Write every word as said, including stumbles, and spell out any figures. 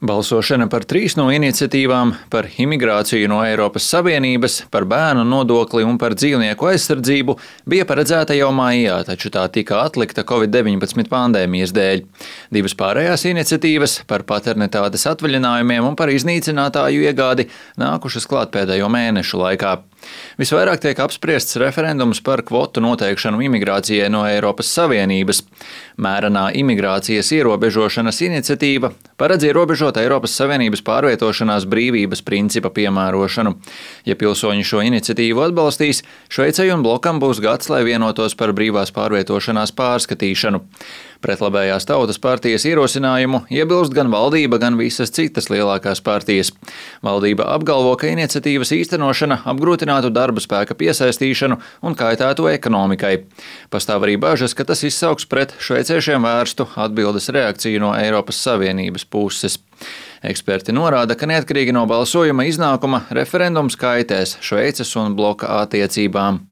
Balsošana par trīs no iniciatīvām – par imigrāciju no Eiropas Savienības, par bērnu nodokli un par dzīvnieku aizsardzību – bija paredzēta jau maijā, taču tā tika atlikta covid deviņpadsmit pandēmijas dēļ. Divas pārējās iniciatīvas – par paternitātes atvaļinājumiem un par iznīcinātāju iegādi – nākušas klāt pēdējo mēnešu laikā. Visvairāk tiek apspriests referendums par kvotu noteikšanu imigrācijai no Eiropas Savienības. Mērenā imigrācijas ierobežošanas iniciatīva paredz ierobežot Eiropas Savienības pārvietošanās brīvības principa piemērošanu. Ja pilsoņi šo iniciatīvu atbalstīs, Šveicei un blokam būs gads, lai vienotos par brīvās pārvietošanās pārskatīšanu. Pret labējās tautas partijas ierosinājumu iebilst gan valdība, gan visas citas lielākās partijas. Valdība apgalvo, ka iniciatīvas īstenošana apgrūtinātu darba spēka piesaistīšanu un kaitētu ekonomikai. Pastāv arī bažas, ka tas izsauks pret šveiciešiem vērstu atbildes reakciju no Eiropas Savienības puses. Eksperti norāda, ka neatkarīgi no balsojuma iznākuma referendums kaitēs Šveices un bloka attiecībām.